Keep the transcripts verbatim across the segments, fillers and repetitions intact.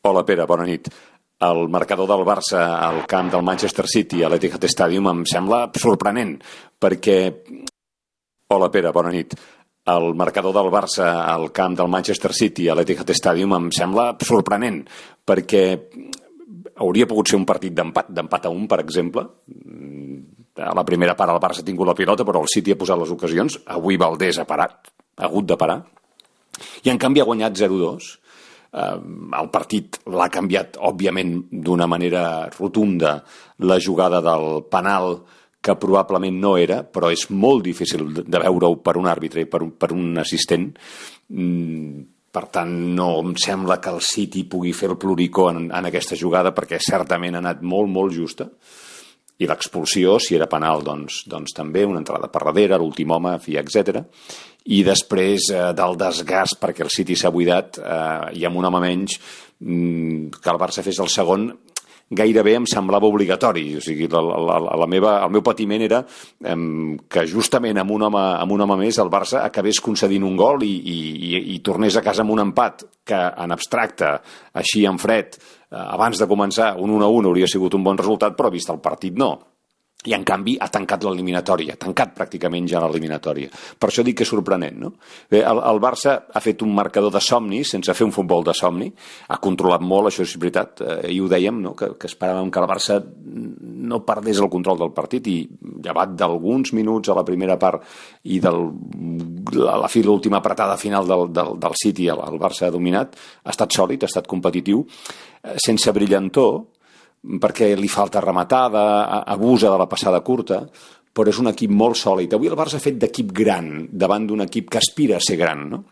Hola, Pere, bona nit. El marcador del Barça al camp del Manchester City a l'Etihad Stadium em sembla sorprenent, perquè... Hola, Pere, bona nit. El marcador del Barça al camp del Manchester City a l'Etihad Stadium em sembla sorprenent, perquè hauria pogut ser un partit d'empat, d'empat a un, per exemple. A la primera part el Barça ha tingut la pilota, però el City ha posat les ocasions. Avui Valdés ha parat, ha hagut de parar. I en canvi ha guanyat zero dos. Uh, el partit l'ha canviat, òbviament, d'una manera rotunda la jugada del penal, que probablement no era, però és molt difícil de veure-ho per un àrbitre i per un, per un assistent. Mm, per tant, no em sembla que el City pugui fer el ploricó en, en aquesta jugada, perquè certament ha anat molt, molt justa. I l'expulsió, si era penal, doncs, doncs també, una entrada per darrere, l'últim home, fi, etcètera. I després eh, del desgast, perquè el City s'ha buidat, eh, i amb un home menys, mm, que el Barça fes el segon, gairebé em semblava obligatori. O sigui, la, la, la meva, el meu patiment era eh, que justament amb un, home, amb un home més el Barça acabés concedint un gol i, i, i, i tornés a casa amb un empat, que en abstracte, així en fred, eh, abans de començar, un un a un hauria sigut un bon resultat, però vist el partit no. I, en canvi, ha tancat l'eliminatòria, ha tancat pràcticament ja l'eliminatòria. Per això dic que és sorprenent, no? Bé, el, el Barça ha fet un marcador de somni, sense fer un futbol de somni, ha controlat molt, això és veritat, eh, i ho dèiem, no? que, que esperàvem que el Barça no perdés el control del partit, i llevat d'alguns minuts a la primera part i del, a la fi, l'última apretada final del, del, del City, el, el Barça ha dominat, ha estat sòlid, ha estat competitiu, eh, sense brillantor, perquè li falta rematada, abusa de la passada curta, però és un equip molt sòlid. Avui el Barça ha fet d'equip gran davant d'un equip que aspira a ser gran, no?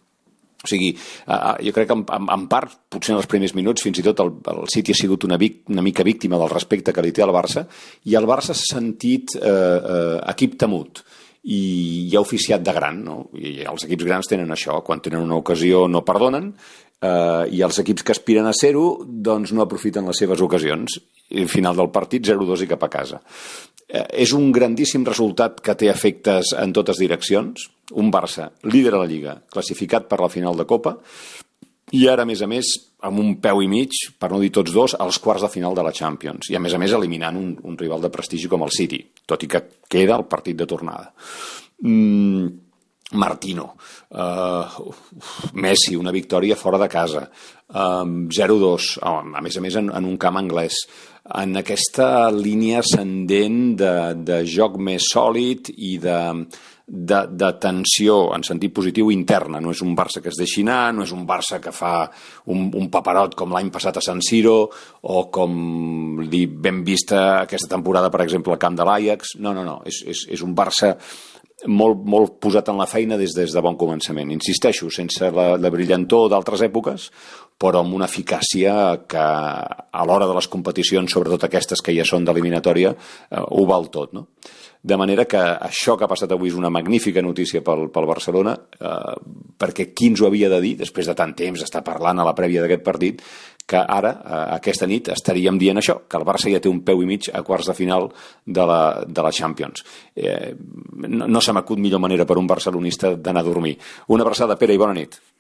O sigui, jo crec que en, en part, potser en els primers minuts, fins i tot el, el City ha sigut una, vic, una mica víctima del respecte que li té al Barça, i el Barça s'ha sentit eh, eh, equip temut i, i ha oficiat de gran, no? I els equips grans tenen això, quan tenen una ocasió no perdonen, eh, i els equips que aspiren a ser-ho doncs no aprofiten les seves ocasions. I final del partit, zero dos i cap a casa. Eh, és un grandíssim resultat que té efectes en totes direccions. Un Barça líder a la Lliga, classificat per la final de Copa, i ara, a més a més, amb un peu i mig, per no dir tots dos, als quarts de final de la Champions. I, a més a més, eliminant un, un rival de prestigi com el City, tot i que queda el partit de tornada. Mm, Martino, uh, Messi, una victòria fora de casa, um, zero dos, oh, a més a més en, en un camp anglès, en aquesta línia ascendent de, de joc més sòlid i de, de, de tensió en sentit positiu interna. No és un Barça que es deixi anar, no és un Barça que fa un, un paperot com l'any passat a San Siro, o com li vam vista aquesta temporada, per exemple, al camp de l'Ajax. No, no, no, és, és, és un Barça molt, molt posat en la feina des, des de bon començament. Insisteixo, sense la, la brillantor d'altres èpoques, però amb una eficàcia que a l'hora de les competicions, sobretot aquestes que ja són d'eliminatòria, eh, ho val tot, no? De manera que això que ha passat avui és una magnífica notícia pel, pel Barcelona, eh, perquè qui ens ho havia de dir, després de tant temps estar parlant a la prèvia d'aquest partit, que ara, eh, aquesta nit, estaríem dient això, que el Barça ja té un peu i mig a quarts de final de la, de la Champions. Eh, no no se m'acut millor manera per un barcelonista d'anar a dormir. Una abraçada, Pere, i bona nit.